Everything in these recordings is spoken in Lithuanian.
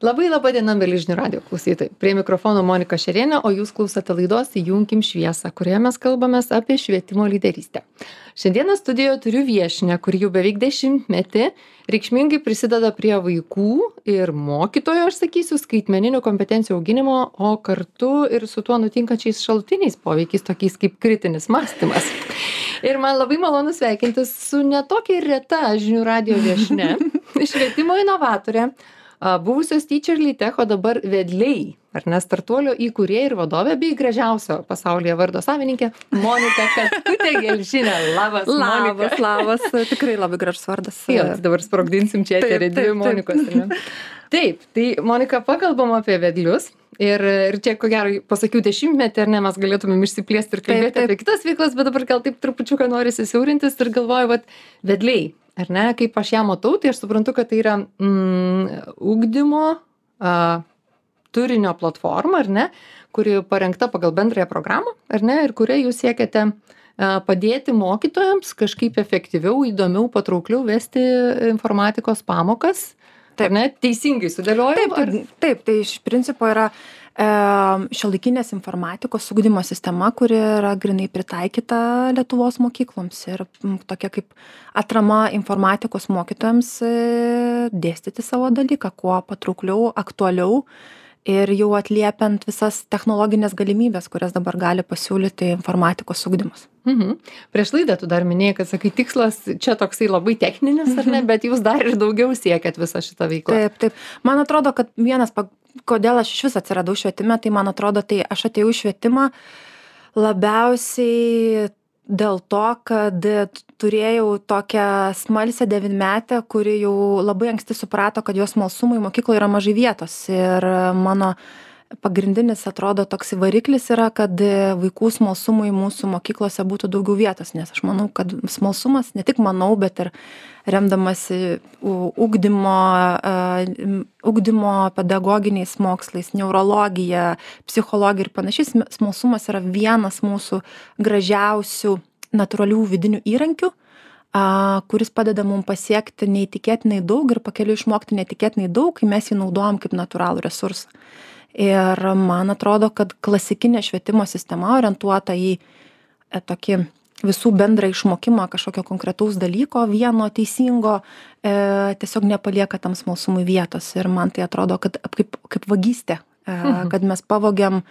Labai laba diena, mėly žinių radijo klausytojai. Prie mikrofono Monika Šerienė, o jūs klausote laidos Įjunkim šviesą, kurioje mes kalbamės apie švietimo lyderystę. Šiandieną studijoje turiu viešinę, kuri jau beveik 10 metų reikšmingai prisideda prie vaikų ir mokytojo, aš sakysiu, skaitmeninių kompetencijų auginimo, o kartu ir su tuo nutinkančiais šalutiniais poveikiais, tokiais kaip kritinis mąstymas. Ir man labai malonu sveikintis su netokia reta žinių radijo viešne, švietimo inovatorė, buvusios Teacher Lytech, o dabar Vedliai, ar ne, startuolio įkūrėja ir vadovė bei gražiausio pasaulyje vardo savininkė Monika Katkutė-Gelžinė. Labas, Monika. Labas, tikrai labai gražus vardas. Jo, dabar sprogdinsim čia eterį dvi Monikos. Taip, tai Monika, pakalbam apie vedlius. Ir čia, ko gero, pasakiau 10 metų, ar ne, mes galėtumėm išsiplėsti ir kalbėti apie kitas veiklas, bet dabar gal taip trupučiuką norisi siaurintis ir galvoju, vedliai. Ar ne, kaip aš ją matau, tai aš suprantu, kad tai yra ugdymo turinio platforma, ar ne, kuri parengta pagal bendrąją programą, ar ne, ir kuria jūs siekiate padėti mokytojams kažkaip efektyviau, įdomiau, patraukliau vesti informatikos pamokas. Taip, ne, teisingai sudėliojau? Taip, tai iš principo yra šiuolaikinės informatikos ugdymo sistema, kuri yra grinai pritaikyta Lietuvos mokykloms ir tokia kaip atrama informatikos mokytojams dėstyti savo dalyką, kuo patraukliau, aktualiau ir jau atliepiant visas technologinės galimybės, kurias dabar gali pasiūlyti informatikos ugdymas. Prieš laidą tu dar minėjai, kad sakai, tikslas čia toksai labai techninis, ar ne, bet jūs dar ir daugiau siekiat visą šitą veiklą. Taip. Man atrodo, kad kodėl aš iš vis atsiradau švietime, tai man atrodo, tai aš atėjau į švietimą labiausiai dėl to, kad turėjau tokią smalsę 9-metę, kuri jau labai anksti suprato, kad jos smalsumui mokykloje yra mažai vietos. Ir mano pagrindinis, atrodo, toks variklis yra, kad vaikų smalsumui mūsų mokyklose būtų daugiau vietos, nes aš manau, kad smalsumas, ne tik manau, bet ir remdamasi ugdymo pedagoginiais mokslais, neurologija, psichologija ir panašiai, smalsumas yra vienas mūsų gražiausių natūralių vidinių įrankių, kuris padeda mums pasiekti neįtikėtinai daug ir pakeliui išmokti neįtikėtinai daug, kai mes jį naudojam kaip natūralų resursą. Ir man atrodo, kad klasikinė švietimo sistema orientuota į tokį visų bendrą išmokimą kažkokio konkretaus dalyko, vieno teisingo, tiesiog nepalieka tam smalsumui vietos. Ir man tai atrodo, kad kaip vagystė, kad mes pavogiam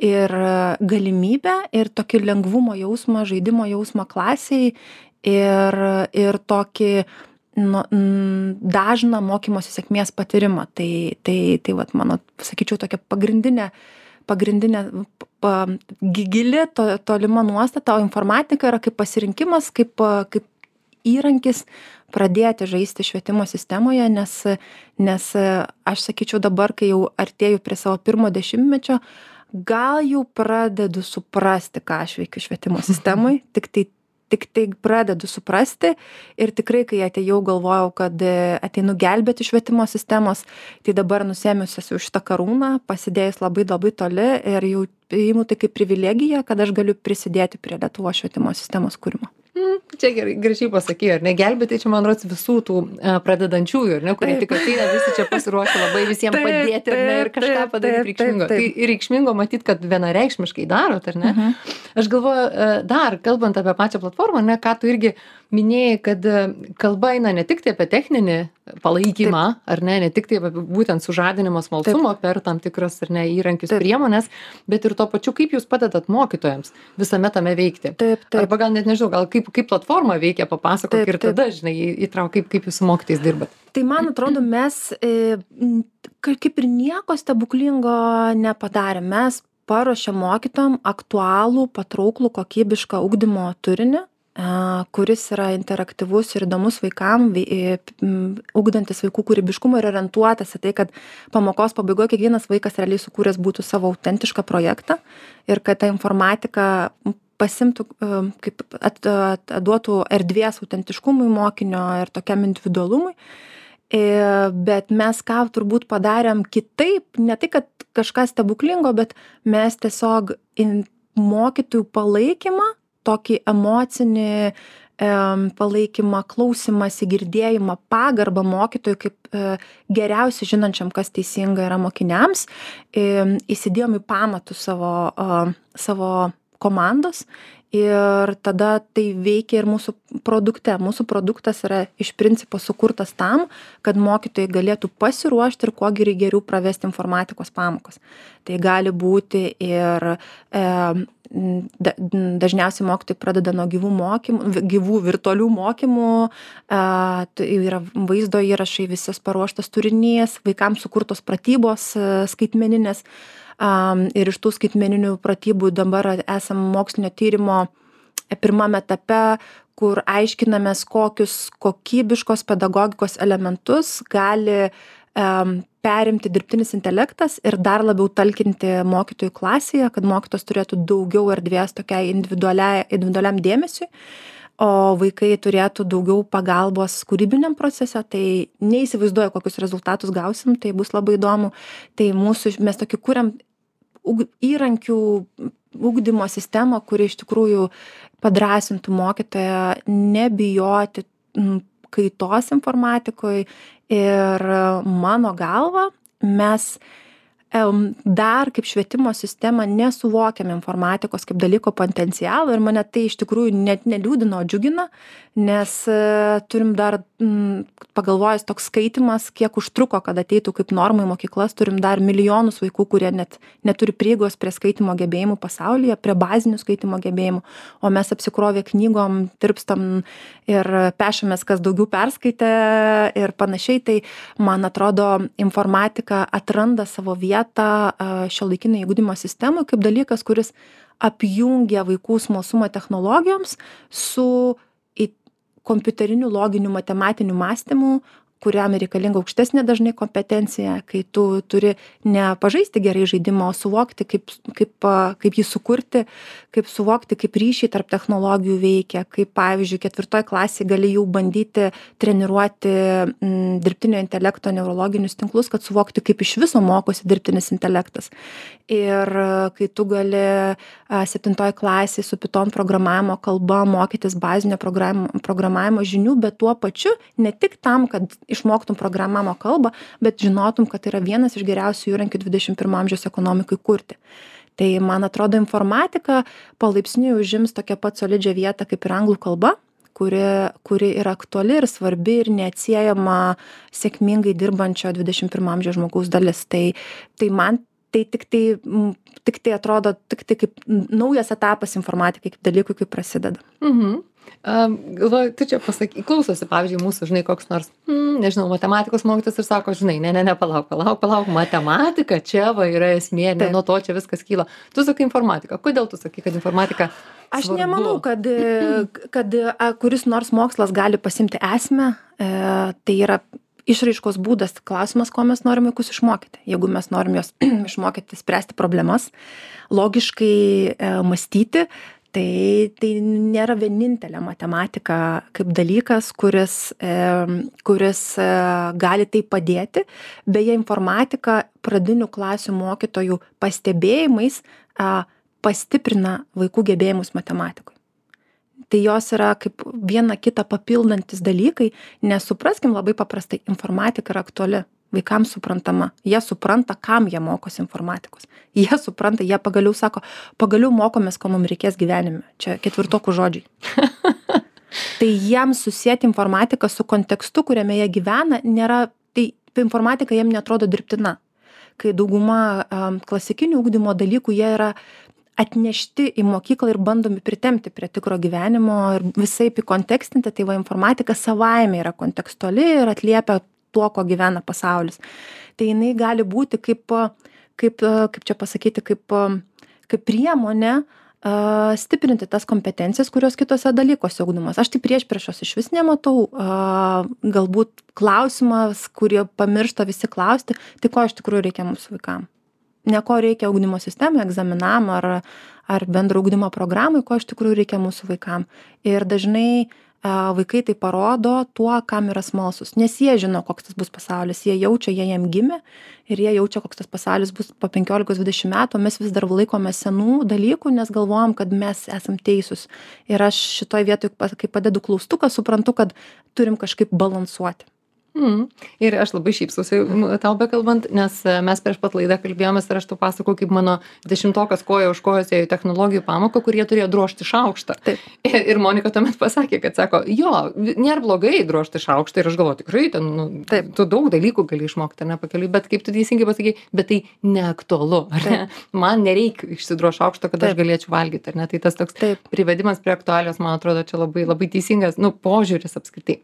ir galimybę, ir tokį lengvumo jausmą, žaidimo jausmą klasiai ir tokį dažną mokymosi sėkmės patyrimą. Tai vat, mano, sakyčiau, tokia pagrindinė gili tolima nuostata, o informatika yra kaip pasirinkimas, kaip įrankis pradėti žaisti švietimo sistemoje, nes aš sakyčiau dabar, kai jau artėju prie savo pirmo 10-mečio, gal jau pradedu suprasti, ką aš veikiu švietimo sistemai, tik tai pradedu suprasti ir tikrai, kai atėjau, galvojau, kad ateinu gelbėti švietimo sistemos, tai dabar nusėmiusios jau šitą karūną, pasidėjus labai toli ir jau priimu tai kaip privilegiją, kad aš galiu prisidėti prie Lietuvos švietimo sistemos kūrimo. Čia gerai, gražiai pasakė, ar ne, gelbėti čia, man rodos, visų tų pradedančiųjų, ar ne, kurie tik ateina, visi čia pasiruošę labai visiems padėti, ar ne, ir kažką padaryti reikšmingo. Tai reikšmingo matyti, kad vienareikšmiškai darot, ar ne? Aš galvoju, dar, kalbant apie pačią platformą, ne, ką tu irgi minėjai, kad kalba eina ne tik tai apie techninį palaikymą, ar ne tik tai apie būtent sužadinimo smalsumo per tam tikras, ar ne, įrankius, priemonės, bet ir to pačiu, kaip jūs padedat mokytojams visame tame veikti. Arba gal net nežinau, gal kaip platforma veikia, papasakok ir tada, žinai, įtrauk, kaip jūs su mokytojais dirbat. Tai man atrodo, mes kaip ir nieko stebuklingo nepadarėm. Mes paruošėm mokytojam aktualų, patrauklų, kokybišką ugdymo turinį, kuris yra interaktyvus ir įdomus vaikam, ugdantis vaikų kūrybiškumą ir orientuotas į tai, kad pamokos pabaigoje kiekvienas vaikas realiai sukūręs būtų savo autentišką projektą ir kad ta informatika pasimtų, kaip duotų erdvės autentiškumui mokinio ir tokiam individualumui. Bet mes ką turbūt padarėm kitaip, ne tai, kad kažką stebuklingo, bet mes tiesiog mokytojų palaikymą, tokį emocinį palaikymą, klausymąsi, girdėjimą, pagarbą mokytojui kaip geriausiai žinančiam, kas teisinga yra mokiniams. Įsidėjom į pamatus savo komandos ir tada tai veikia ir mūsų produkte. Mūsų produktas yra iš principo sukurtas tam, kad mokytojai galėtų pasiruošti ir kuo geriau pravesti informatikos pamokas. Tai gali būti ir dažniausiai mokytojai pradeda nuo gyvų virtualių mokymų, tai yra vaizdo įrašai, visas paruoštas turinys, vaikams sukurtos pratybos skaitmeninės. Ir iš tų skaitmeninių pratybų dabar esam mokslinio tyrimo pirmame etape, kur aiškinamės, kokius kokybiškos pedagogikos elementus gali perimti dirbtinis intelektas ir dar labiau talkinti mokytojų klasėje, kad mokytojas turėtų daugiau erdvės tokiai individualiam dėmesiui, o vaikai turėtų daugiau pagalbos kūrybiniam procese. Tai neįsivaizduoju, kokius rezultatus gausim, tai bus labai įdomu. Tai mes tokį kuriam įrankių ugdymo sistemą, kuri iš tikrųjų padrąsintų mokytoją nebijoti kaitos informatikoje. Ir mano galva, mes dar kaip švietimo sistema nesuvokiam informatikos kaip dalyko potencialo ir mane tai iš tikrųjų net neliūdina, o džiugina, nes turim dar, pagalvojus, toks skaitymas, kiek užtruko, kad ateitų kaip norma į mokyklas, turim dar milijonus vaikų, kurie net neturi prieigos prie skaitymo gebėjimų pasaulyje, prie bazinių skaitymo gebėjimų, o mes apsikrovę knygom, tirpstam ir pešamės, kas daugiau perskaitė ir panašiai. Tai man atrodo, informatika atranda savo vietą šiuolaikinėje ugdymo sistemoje kaip dalykas, kuris apjungia vaikų smalsumą technologijoms su kompiuteriniu loginiu matematiniu mąstymu, kuriam reikalinga aukštesnė dažnai kompetencija, kai tu turi ne pažaisti gerai žaidimą, o suvokti, kaip jį sukurti, kaip suvokti, kaip ryšiai tarp technologijų veikia, kaip pavyzdžiui 4 klasėje gali jau bandyti treniruoti dirbtinio intelekto neurologinius tinklus, kad suvokti, kaip iš viso mokosi dirbtinis intelektas. Ir kai tu gali 7 klasėje su Python programavimo kalba mokytis bazinio programavimo žinių, bet tuo pačiu ne tik tam, kad išmoktum programavimo kalbą, bet žinotum, kad tai yra vienas iš geriausių įrankių 21 amžiaus ekonomikai kurti. Tai man atrodo, informatika palaipsniui užims tokią pat solidžią vietą kaip ir anglų kalba, kuri yra aktuali ir svarbi ir neatsiejama sėkmingai dirbančio 21 amžiaus žmogaus dalis. Tai man tai tik tai atrodo kaip naujas etapas informatikai, kaip dalykui, kaip prasideda. Galvoju, tu čia pasakai, klausosi, pavyzdžiui, mūsų, žinai, koks nors, nežinau, matematikos mokytojas ir sako, žinai, palauk, matematika čia va yra esmė, ne nuo to čia viskas kyla. Tu sakai informatika. Kodėl tu sakai, kad informatika svarbu? Aš nemanau, kad kuris nors mokslas gali pasimti esmę, tai yra išraiškos būdas. Klausimas, ko mes norim vaikus išmokyti. Jeigu mes norim juos išmokyti spręsti problemas, logiškai mąstyti, tai nėra vienintelė matematika kaip dalykas, kuris gali tai padėti. Beje, informatika pradinių klasių mokytojų pastebėjimais pastiprina vaikų gebėjimus matematikoje. Tai jos yra kaip viena kitą papildantis dalykai, nes supraskim labai paprastai, informatika yra aktuali, vaikams suprantama, jie supranta, kam jie mokosi informatikos. Jie supranta, jie pagaliau mokomės, ko mums reikės gyvenime. Čia 4 žodžiai. Tai jiems susėti informatiką su kontekstu, kuriame jie gyvena, tai informatika jiems netrodo dirbtina. Kai dauguma klasikinių ugdymo dalykų jie yra atnešti į mokyklą ir bandomi pritempti prie tikro gyvenimo ir visaip įkontekstinti, tai va informatika savaime yra kontekstuali ir atliepia tuo, ko gyvena pasaulis. Tai jinai gali būti kaip čia pasakyti, kaip priemonė stiprinti tas kompetencijas, kurios kitose dalykuose ugdomos. Aš tai priešpriešos iš vis nematau. Galbūt klausimas, kurie pamiršta visi klausti, tai ko iš tikrųjų reikia mūsų vaikams. Ne ko reikia ugdymo sistemai, egzaminam ar bendro ugdymo programai, ko iš tikrųjų reikia mūsų vaikams. Ir dažnai vaikai tai parodo tuo, kam yra smalsus, nes jie žino, koks tas bus pasaulis, jie jaučia, jie jam gimė ir jie jaučia, koks tas pasaulis bus po 15-20 metų, mes vis dar laikome senų dalykų, nes galvojam, kad mes esam teisūs. Ir aš šitoj vietoj, kai padedu klaustuką, suprantu, kad turim kažkaip balansuoti. Ir aš labai šypsausi tau bekalbant, nes mes prieš pat laidą kalbėjomės ir aš tau pasakau, kaip mano 10-okas koja už kojos ėjo į technologijų pamoką, kur jie turėjo drožti šaukštą. Ir Monika tuomet pasakė, kad sako, jo, nėra blogai drožti šaukštą ir aš galvoju, tikrai, ten, tu daug dalykų gali išmokti, ne pakeliui, bet kaip tu teisingai pasakei, bet tai neaktualu, ar ne? Man nereikia išsidrožti šaukštą, kad aš galėčiau valgyti, ar ne? Tai tas toks privedimas prie aktualijos, man atrodo, čia labai, labai teisingas, požiūris apskritai.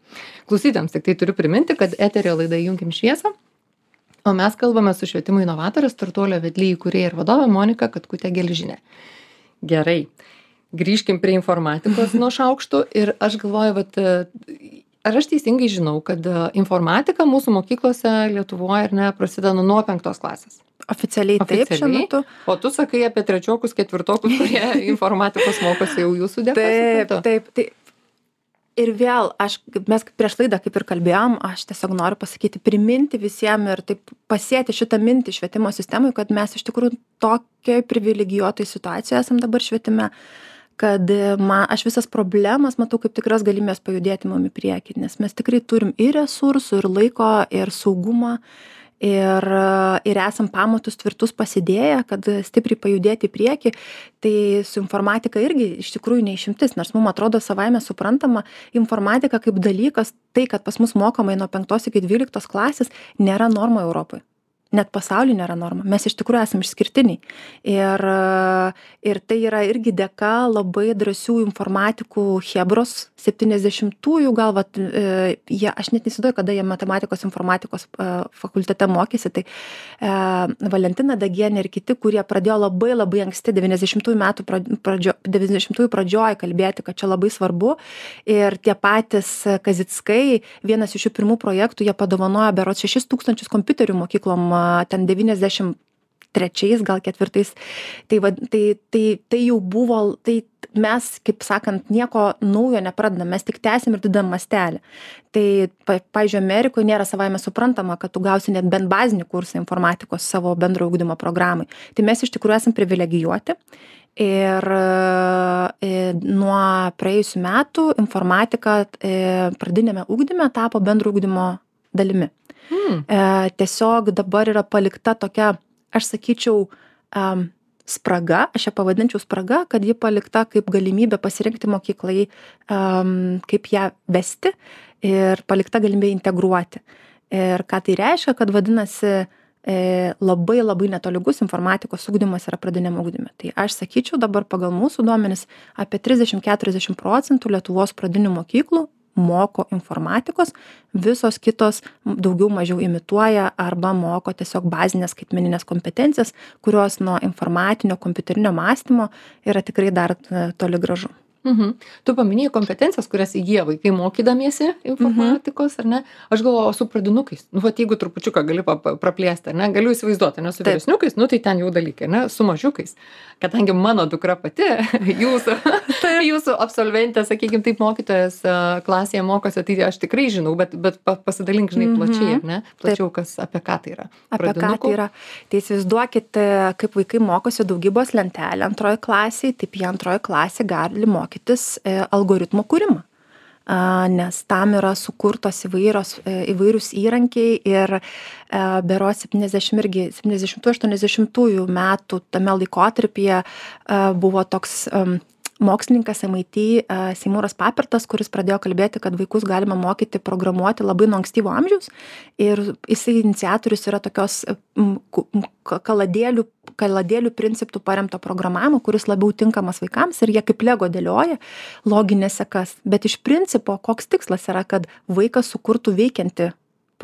Klausytams, tik tai turiu priminti, kad eterio laida Įjunkim šviesą, o mes kalbame su švietimo inovatorė, Startuolio vedlė įkūrėja ir vadovė Monika Katkutė-Gelžinė. Gerai, grįžkim prie informatikos nuo šaukštų ir aš galvoju, vat, ar aš teisingai žinau, kad informatika mūsų mokyklose Lietuvoje ir ne prasideda nuo 5 klasės? Oficialiai taip šiuo metu. O tu sakai apie 3-okus, 4-okus, kurie informatikos mokosi jau jūsų dėka? Taip. Ir vėl, mes prieš laidą kaip ir kalbėjom, aš tiesiog noriu pasakyti, priminti visiems ir taip pasėti šitą mintį švietimo sistemai, kad mes iš tikrųjų tokiai privilegijuotai situacijoje esam dabar švietime, kad aš visas problemas matau kaip tikras galimybės pajudėti mum į priekį, nes mes tikrai turim ir resursų, ir laiko, ir saugumą, ir esam pamatus tvirtus pasidėję, kad stipriai pajudėti į priekį, tai su informatika irgi iš tikrųjų neišimtis, nors mums atrodo savaime suprantama, informatika kaip dalykas, tai, kad pas mus mokomai nuo 5 iki 12 klasės, nėra norma Europoje. Net pasaulyje nėra norma. Mes iš tikrųjų esame išskirtiniai. Ir tai yra irgi dėka labai drąsių informatikų Chebros 70-ųjų gal, aš net nesidoju, kada jie matematikos informatikos fakultete mokėsi, tai Valentina Dagienė ir kiti, kurie pradėjo labai labai anksti 90-ųjų pradžioj kalbėti, kad čia labai svarbu. Ir tie patys Kazickai, vienas iš jų pirmų projektų, jie padovanojo berods 6,000 kompiuterių mokyklom ten 93 gal 4. Tai jau buvo, tai mes, kaip sakant, nieko naujo nepradedam, mes tik tęsim ir didam mastelį. Tai, pavyzdžiui, Amerikoje nėra savaime suprantama, kad tu gausi net bent bazinį kursą informatikos savo bendro ugdymo programai. Tai mes iš tikrųjų esam privilegijuoti. Ir nuo praėjusių metų informatika pradinėme ugdyme tapo bendro ugdymo dalimi. Tiesiog dabar yra palikta tokia, aš sakyčiau, spraga, aš ją pavadinčiau spraga, kad ji palikta kaip galimybė pasirinkti mokyklai, kaip ją vesti ir palikta galimybė integruoti. Ir ką tai reiškia, kad vadinasi labai labai netolygus informatikos ugdymas yra pradiniam ugdyme. Tai aš sakyčiau dabar pagal mūsų duomenis apie 30-40% Lietuvos pradinių mokyklų moko informatikos, visos kitos daugiau mažiau imituoja arba moko tiesiog bazinės skaitmeninės kompetencijas, kurios nuo informatinio kompiuterinio mąstymo yra tikrai dar toli gražu. Tu paminėjai kompetencijas, kurias įgyja vaikai mokydamiesi informatikos, ar ne? Aš galvoju, su pradinukais. Jeigu trupučiuką gali praplėsti, ar ne? Galiu įsivaizduoti, ne? Su vyresniukais, tai ten jau dalykai, ne? Su mažiukais. Kadangi mano dukra pati, jūsų absolventė, sakykime, taip mokytojas klasėje mokosi, tai aš tikrai žinau, bet pasidalink, žinai, plačiai, ar ne? Plačiau, apie ką tai yra. Apie ką tai yra. Tai įsivaizduokite, kaip vaikai mokosi daugybos lentelę antroje klasėje, taip jie antroje klasėje gali mokytis algoritmo kūrimą. Nes tam yra sukurtos įvairūs įrankiai ir berods 70-80 metų tame laikotarpyje buvo toks mokslininkas MIT Seymouras Papirtas, kuris pradėjo kalbėti, kad vaikus galima mokyti programuoti labai nuo ankstyvo amžiaus ir jisai iniciatorius yra tokios kaladėlių principų paremto programavimo, kuris labiau tinkamas vaikams ir jie kaip lego dėlioja loginės sekas. Bet iš principo, koks tikslas yra, kad vaikas sukurtų veikiantį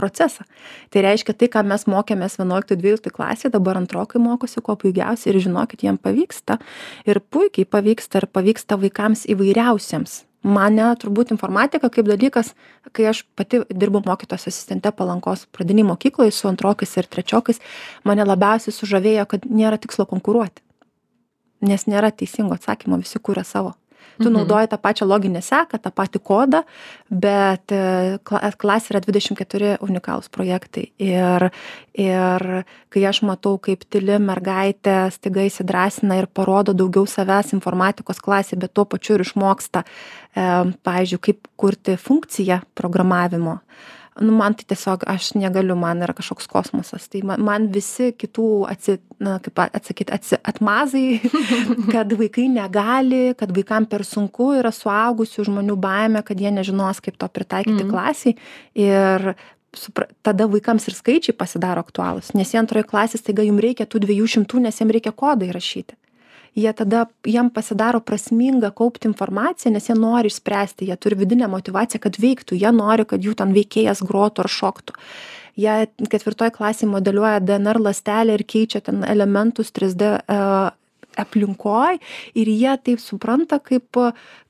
procesą. Tai reiškia tai, ką mes mokėmės 11-12 klasėje, dabar antrokai mokosi kuo puikiausiai ir žinokit, jiem pavyksta. Ir puikiai pavyksta ir pavyksta vaikams įvairiausiems. Mane turbūt informatika kaip dalykas, kai aš pati dirbu mokytojos asistente Palankos pradinėj mokykloje su antrokais ir trečiokais, mane labiausiai sužavėjo, kad nėra tikslo konkuruoti. Nes nėra teisingo atsakymo, visi kuria savo. Tu naudoji tą pačią loginę seką, tą patį kodą, bet klasė yra 24 unikalūs projektai. Ir kai aš matau, kaip tyli mergaitė staiga įsidrąsina ir parodo daugiau savęs informatikos klasė, bet tuo pačiu ir išmoksta, pavyzdžiui, kaip kurti funkciją programavimo. Nu, man tai tiesiog, aš negaliu, man yra kažkoks kosmosas. Tai man visi kitų atmazai, kad vaikai negali, kad vaikam per sunku, yra suaugusių žmonių baimė, kad jie nežinos, kaip to pritaikyti klasiai. Ir tada vaikams ir skaičiai pasidaro aktualūs, nes jie antroje klasės, taiga jums reikia tų 200, nes jiems reikia kodą įrašyti. Jiem pasidaro prasminga kaupti informaciją, nes jie nori išspręsti, jie turi vidinę motyvaciją, kad veiktų, jie nori, kad jų ten veikėjas grotų ar šoktų. Jie 4 klasėje modeliuoja DNR ląstelę ir keičia ten elementus 3D aplinkoj ir jie taip supranta kaip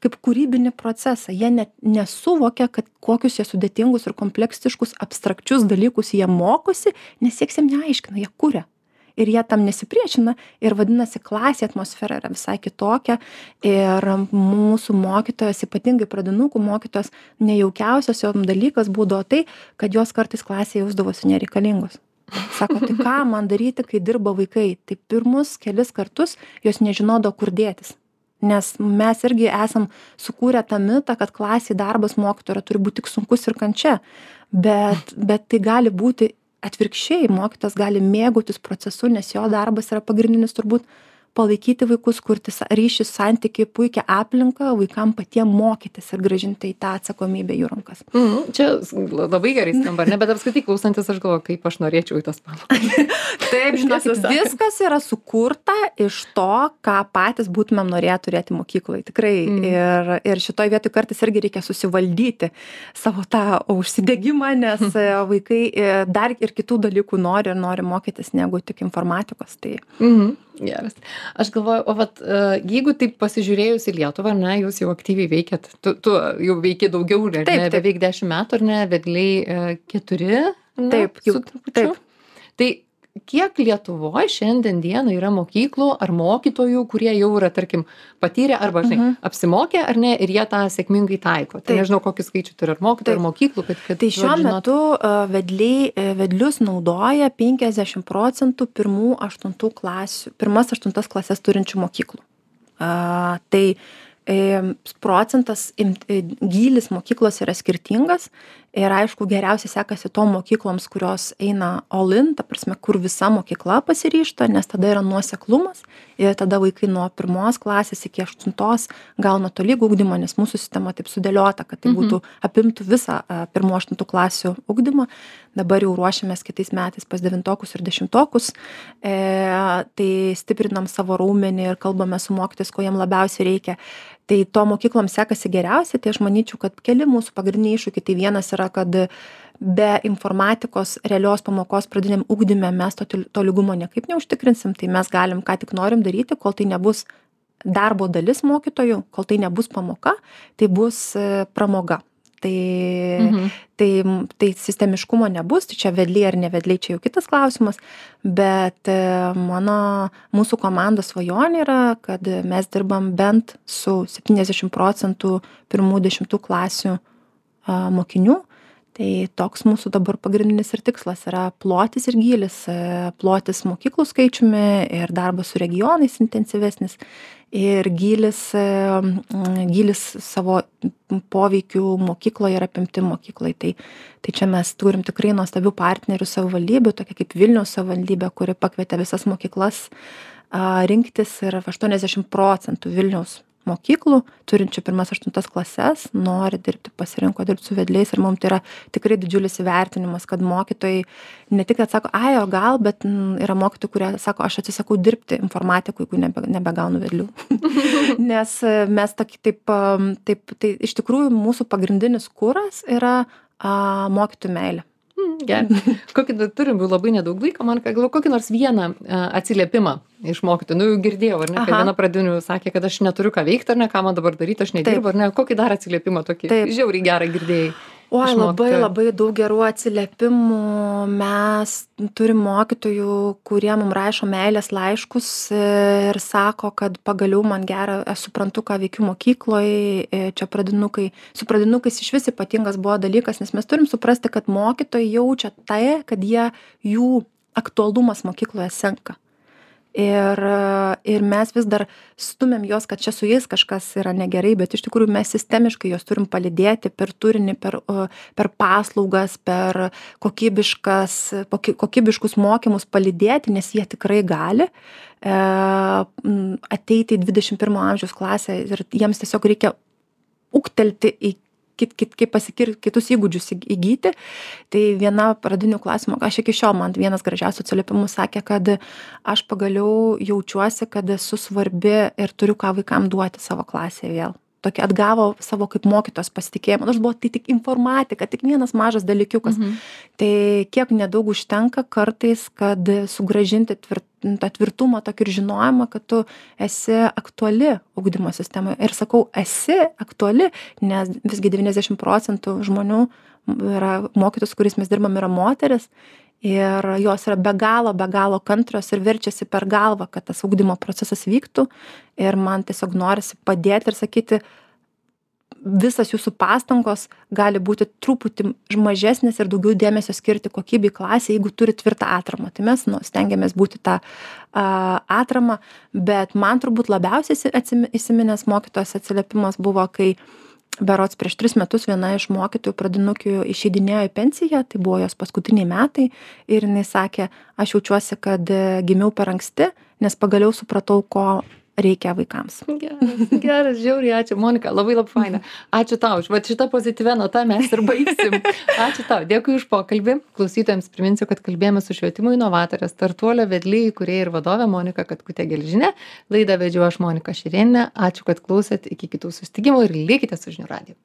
kūrybinį procesą. Jie nesuvokia, kad kokius jie sudėtingus ir kompleksiškus abstrakčius dalykus jie mokosi, nes jiems neaiškina, jie kuria. Ir jie tam nesipriešina ir vadinasi klasė atmosfera yra visai kitokia ir mūsų mokytojas, ypatingai pradinukų mokytojas, nejaukiausias jo dalykas būdavo tai, kad jos kartais klasėje jausdavosi nereikalingos. Sako, tai ką man daryti, kai dirba vaikai? Tai pirmus kelis kartus jos nežinodavo, kur dėtis. Nes mes irgi esam sukūrę tą mitą, kad klasėje darbas mokytojo turi būti tik sunkus ir kančia, bet tai gali būti atvirkščiai, mokytojas gali mėgautis procesu, nes jo darbas yra pagrindinis turbūt palaikyti vaikus, kurti ryšį, santykį, puikią aplinką, vaikam patiem mokytis ir grąžinti į tą atsakomybę jų rankas. Čia labai gerai skamba, ne, bet apskritai klausantis aš galvoju, kaip aš norėčiau į tas pamokas. Taip, žinokit, viskas yra sukurta iš to, ką patys būtumėm norėję turėti mokykloje. Tikrai. Ir šitoj vietoj kartais irgi reikia susivaldyti savo tą užsidegimą, nes vaikai dar ir kitų dalykų nori mokytis negu tik informatikos. Tai... Geras. Aš galvoju, o vat, jeigu taip pasižiūrėjus į Lietuvą, ne, jūs jau aktyviai veikiat, tu jau veiki daugiau, ne, beveik 10 metų, ar ne, vedliai 4, ne, taip, su trupučiu. Tai kiek Lietuvoje šiandien dieną yra mokyklų ar mokytojų, kurie jau yra, tarkim, patyrę arba, apsimokė, ar ne, ir jie tą sėkmingai taiko. Tai nežinau, kokį skaičių turi ar mokytojų, ar mokyklų, kad tai šiuo metu vedlius naudoja 50% pirmas 8 klasės turinčių mokyklų. Tai procentas, gylis mokyklos yra skirtingas ir aišku geriausiai sekasi tom mokykloms, kurios eina all in, ta prasme, kur visa mokykla pasiryžta, nes tada yra nuoseklumas ir tada vaikai nuo 1 klasės iki 8 gauna tolygų ugdymą, nes mūsų sistema taip sudėliota, kad tai būtų apimtų visą 1-8 klasių ugdymą. Dabar jau ruošiamės kitais metais pas 9-okus ir 10-okus, tai stiprinam savo raumenį ir kalbame su mokytojais, ko jiem labiausiai reikia. Tai to mokyklom sekasi geriausiai, tai aš manyčiau, kad keli mūsų pagrindiniai iššūkiai. Tai vienas yra, kad be informatikos realios pamokos pradiniam ugdyme mes to lygumo niekaip neužtikrinsim, tai mes galim ką tik norim daryti, kol tai nebus darbo dalis mokytojų, kol tai nebus pamoka, tai bus pramoga. Tai sistemiškumo nebus, tai čia vedliai ar nevedliai, čia jau kitas klausimas, bet mūsų komandos svajonė yra, kad mes dirbam bent su 70% 1-10 klasių mokinių. Tai toks mūsų dabar pagrindinis ir tikslas yra plotis ir gylis, plotis mokyklų skaičiumi ir darbas su regionais intensyvesnis ir gylis savo poveikių mokykloje ir apimti mokyklai. Tai čia mes turim tikrai nuostabių partnerių savivaldybių, tokia kaip Vilniaus savivaldybė, kuri pakvietė visas mokyklas rinktis ir 80% Vilniaus mokyklų, turinčių 1-8 klases, nori dirbti, pasirinko dirbti su vedliais ir mums tai yra tikrai didžiulis įvertinimas, kad mokytojai ne tik atsako, o gal, bet yra mokytojai, kurie sako, aš atsisakau dirbti informatikų, jeigu nebegaunu vedlių. Nes mes tai iš tikrųjų mūsų pagrindinis kuras yra mokytojų meilė. Gerai. Turim labai nedaug laiko, man galvoju, kokį nors vieną atsiliepimą iš mokytojų. Jau girdėjau, ar ne, kai viena pradinių sakė, kad aš neturiu ką veikti, ar ne, ką man dabar daryti, aš nedirbu, ar ne, kokį dar atsiliepimą tokį žiauriai gerą girdėjai. Oi, iš labai mokytojų? labai daug gerų atsiliepimų. Mes turim mokytojų, kurie mum rašo meilės laiškus ir sako, kad pagaliau man gera, aš suprantu, ką veikiu mokykloj. Čia pradinukai, su pradinukais išvis ypatingas buvo dalykas, nes mes turim suprasti, kad mokytojai jaučia tai, kad jų aktualumas mokykloje senka. Ir mes vis dar stumiam juos, kad čia su jais kažkas yra negerai, bet iš tikrųjų mes sistemiškai juos turim palydėti per turinį, per paslaugas, per kokybiškus mokymus palydėti, nes jie tikrai gali ateiti į 21 amžiaus klasę ir jiems tiesiog reikia ūgtelti į kaip kitus įgūdžius įgyti. Tai viena pradinių klasių, aš iki šiol man vienas gražiausių atsiliepimų sakė, kad aš pagaliau jaučiuosi, kad esu svarbi ir turiu ką vaikam duoti savo klasėje vėl. Tokia atgavo savo kaip mokytos pasitikėjimą. Nors buvo tai tik informatika, tik vienas mažas dalykiukas. Tai kiek nedaug užtenka kartais, kad sugrąžinti tą tvirtumą, tokį ir žinojimą, kad tu esi aktuali ugdymo sistemoje. Ir sakau, esi aktuali, nes visgi 90% žmonių yra mokytojus, kuris mes dirbam, yra moteris. Ir jos yra be galo kantrios ir verčiasi per galvą, kad tas ugdymo procesas vyktų. Ir man tiesiog norisi padėti ir sakyti, visas jūsų pastangos gali būti truputį mažesnės ir daugiau dėmesio skirti kokybei klasėje, jeigu turi tvirtą atramą. Tai mes stengiamės būti tą atramą, bet man turbūt labiausiai įsiminęs mokytojos atsiliepimas buvo, kai berods prieš 3 metus viena iš mokytojų pradinukių išeidinėjo į pensiją, tai buvo jos paskutiniai metai ir jinai sakė, aš jaučiuosi, kad gimiau per anksti, nes pagaliau supratau, ko reikia vaikams. Geras, žiauriai, ačiū. Monika, labai faina. Ačiū tau. Va šitą pozityvę notą mes ir baigsim. Ačiū tau. Dėkui už pokalbį. Klausytojams priminsiu, kad kalbėjome su švietimo inovatorė, Startuolio vedlė, įkūrėja ir vadovė Monika Katkutė-Gelžinė. Laidą vedžiau aš, Monika Šerėnienė. Ačiū, kad klausėt. Iki kitų susitikimų ir likite su žinių radiju.